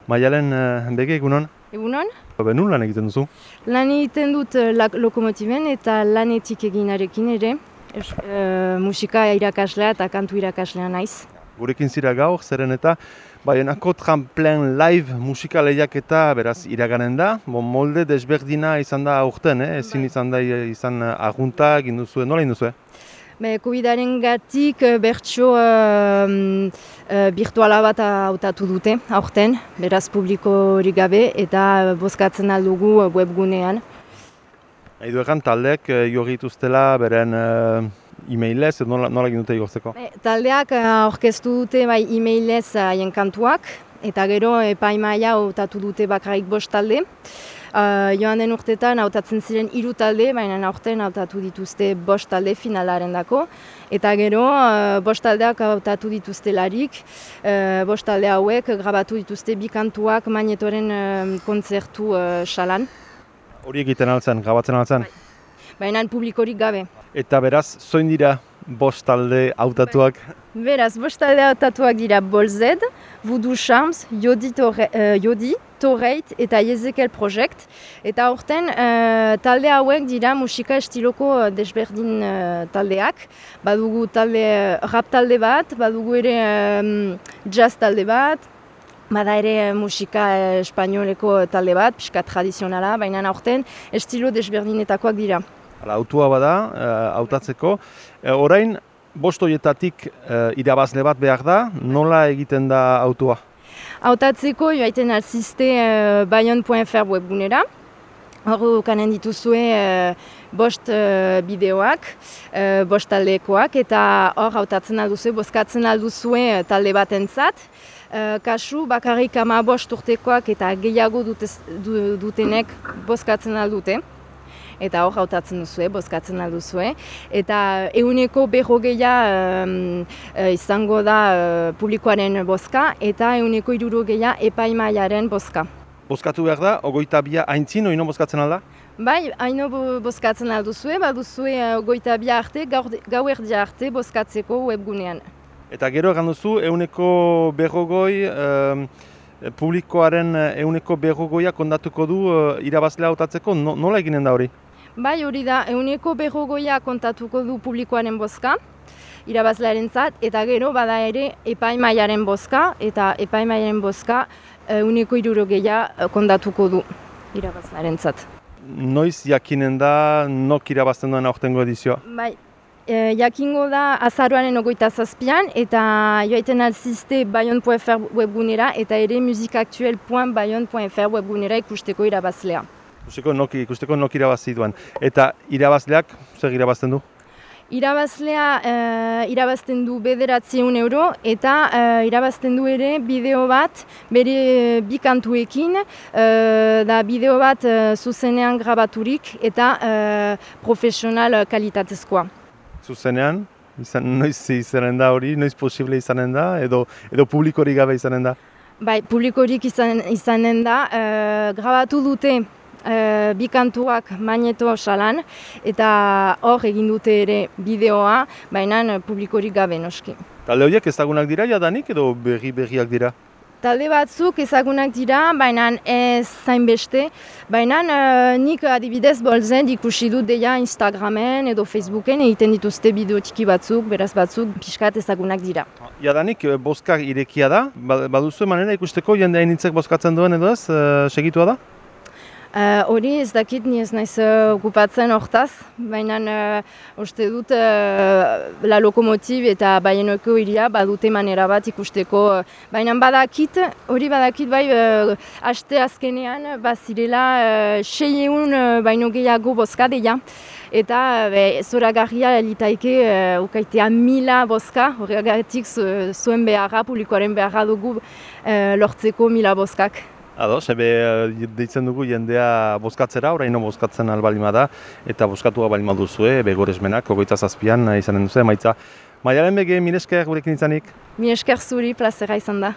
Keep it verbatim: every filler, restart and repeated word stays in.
Maialen bege egunon? Egunon? Nun lan egiten duzu? Lan egiten dut lokomotiben eta lanetik eginarekin ere. Es, e, musika irakaslea eta kantu irakaslea naiz. Gurekin zira gaur, zeren eta Baionako Tramplen Live musika lehiaketa beraz iraganen da. Bon, molde desberdina izan da aurten, eh? Ezin izan da izan agunta, egin duzu, nola egin duzu? Be, Covidaren gatik bertso uh, uh, virtuala bat hautatu dute aurten, beraz publikorik gabe eta bozkatzen aldugu webgunean. Aidu egan taldeak jorri dituztela beren uh, e-mailez, nola, nola egin dute igortzeko? Be, taldeak aurkeztu dute bai e-mailez haien kantuak eta gero epaimaia hautatu dute bakarrik bost talde. Uh, joan den urtetan hautatzen ziren hiru talde, baina aurten hautatu dituzte bost talde finalaren dako. Eta gero uh, bost taldeak hautatu dituztelarik, uh, bost talde hauek grabatu dituzte bi kantuak Magnetoren uh, kontzertu uh, salan. Hori egiten altzen, grabatzen altzen? Baina publikorik gabe. Eta beraz, zoin dira bost talde hautatuak? Beraz, bost talde hautatuak dira Bolzed, Voodoo Charms, Yodi, Torre, uh, Yodi Torreit eta Ezekiel Project. Eta aurten uh, talde hauek dira musika estiloko desberdin uh, taldeak. Badugu talde, rap talde bat, badugu ere um, jazz talde bat, bada ere musika espainoleko talde bat, pixka tradizionala, baina aurten estilo desberdinetakoak dira. Hala, autua bada, hautatzeko. Uh, orain, bost horietatik uh, irabazle bat behar da, nola egiten da autua? Hautatzeko joaiten alzizte uh, bayon puntu f r webgunera. Hor kanen dituzue uh, bost uh, bideoak, uh, bost taldekoak, eta hor hautatzen alduzue, bozkatzen alduzue talde batentzat. Uh, kasu bakarrik ama bost urtekoak eta gehiago dutez, du, dutenek bozkatzen aldute. Eta hor hautatzen duzue, bozkatzen alduzue. Eta ehuneko berrogeia um, izango da uh, publikoaren bozka eta ehuneko hirurogeia epaimaiaren bozka. Bozkatu behar da, ogoita bia aintzin, oino bozkatzen alda? Bai, haino bozkatzen alduzue, baduzue ogoita bia arte, gau erdia arte bozkatzeko webgunean. Eta gero egan duzu, ehuneko berrogoi, um, publikoaren ehuneko berrogoia kontatuko du uh, irabazlea hautatzeko, no, nola eginen da hori? Bai, hori da, ehuneko berrogoia kontatuko du publikoaren bozka, irabazlearentzat, eta gero bada ere epaimaiaren bozka, eta epaimaiaren bozka ehuneko hirurogeia kontatuko du irabazlearentzat. Noiz jakinen da, nok irabazten duen aurtengo edizioa? Bai, e, jakingo da azaroaren ogoita zazpian, eta joaiten alzizte bayon puntu f r webgunera, eta ere musikaktuel puntu bayon puntu f r webgunera ikusteko irabazlea. Ikusteko nok, ikusteko nok irabazi duen. Eta irabazleak, zer irabazten du? Irabazlea uh, irabazten du bederatziehun euro eta uh, irabazten du ere bideo bat bere bi kantuekin, uh, da bideo bat uh, zuzenean grabaturik eta uh, profesional kalitatezkoa. Zuzenean? Izan, noiz izanen da hori? Noiz posible izanen da? Edo, edo publikorik gabe izanen da? Bai, publikorik izan, izanen da. Uh, grabatu dute Uh, bi kantuak Magneto salan eta hor egin dute ere bideoa, baina publikorik gabe noski. Talde horiek ezagunak dira jadanik edo berri berriak dira? Talde batzuk ezagunak dira, baina ez zainbeste, baina uh, nik adibidez Bolzed ikusi dut deia Instagramen edo Facebooken egiten dituzte bideo txiki batzuk, beraz batzuk pixkat ezagunak dira. Jadanik bozkak irekia da, baduzu manera ikusteko jende hainitzek bozkatzen duen edo ez, uh, segitua da? Hori uh, ez dakit, ni ez naiz uh, okupatzen hortaz, baina uh, uste dut uh, la lokomotib eta Baionako hiria badute manera bat ikusteko. Uh, baina badakit, hori badakit bai, uh, aste azkenean bazirela uh, seieun uh, baino gehiago bozka deia. Eta uh, zoragarria litaike uh, ukaitea mila bozka, horregatik zuen beharra, publikoaren beharra dugu uh, lortzeko mila bozkak. Ados, ebe deitzen dugu jendea bozkatzera, oraino bozkatzen albalima da, eta bozkatua balima duzue, ebe goresmenak, ogoita zazpian izanen duzu, emaitza. Maialen bege, mil esker gurekin izanik? Mil esker zuri, plazera izan da.